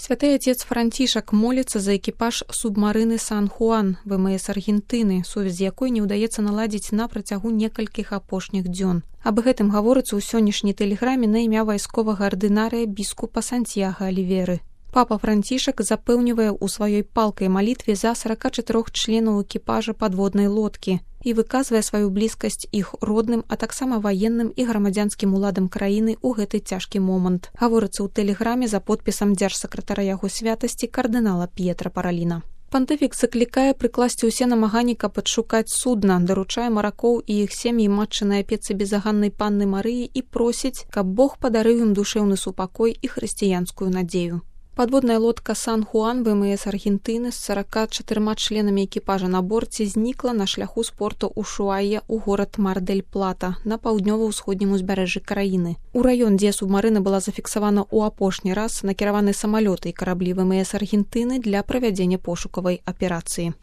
Святы отец Францішак моліцца за экіпаж субмарыны Сан-Хуан ВМС Аргентыны, сувязь якой не ўдаецца наладзіць на працягу некалькіх апошніх дзён. Аб гэтым гаворыцца ў сённяшняй тэлеграме на імя вайсковага ардынарыя біскупа Сантьяга Аліверы. Папа Францішак запэўнівае ў сваёй палкай малітве за 44 членаў экіпажа падводнай лодкі і выказвае сваю блізкасць іх родным, а таксама ваенным і грамадзянскім уладам краіны ў гэты цяжкі момант. Гаворыцца ў тэлеграме за подпісам дзяржсакратара яго святасці кардынала П'етра Параліна. Пантыфік заклікае прыкласці ўсе намаганні, каб адшукаць судна, даручае маракоў і іх сем'і матчынай апецы безаганнай панны Марыі і просіць, каб Бог падарыў ім душэўны супакой і хрысціянскую надзею. Падводная лодка Сан-Хуан ВМС Аргентыны з 44 членамі экіпажа на борце знікла на шляху з порту Ушуайя ў горад Мар-дель-Плата на паўднёва-ўсходнім узбярэжжы краіны. У раён, дзе субмарына была зафіксавана ў апошні раз, накіраваны самалёты і караблі ВМС Аргентыны для правядзення пошукавай аперацыі.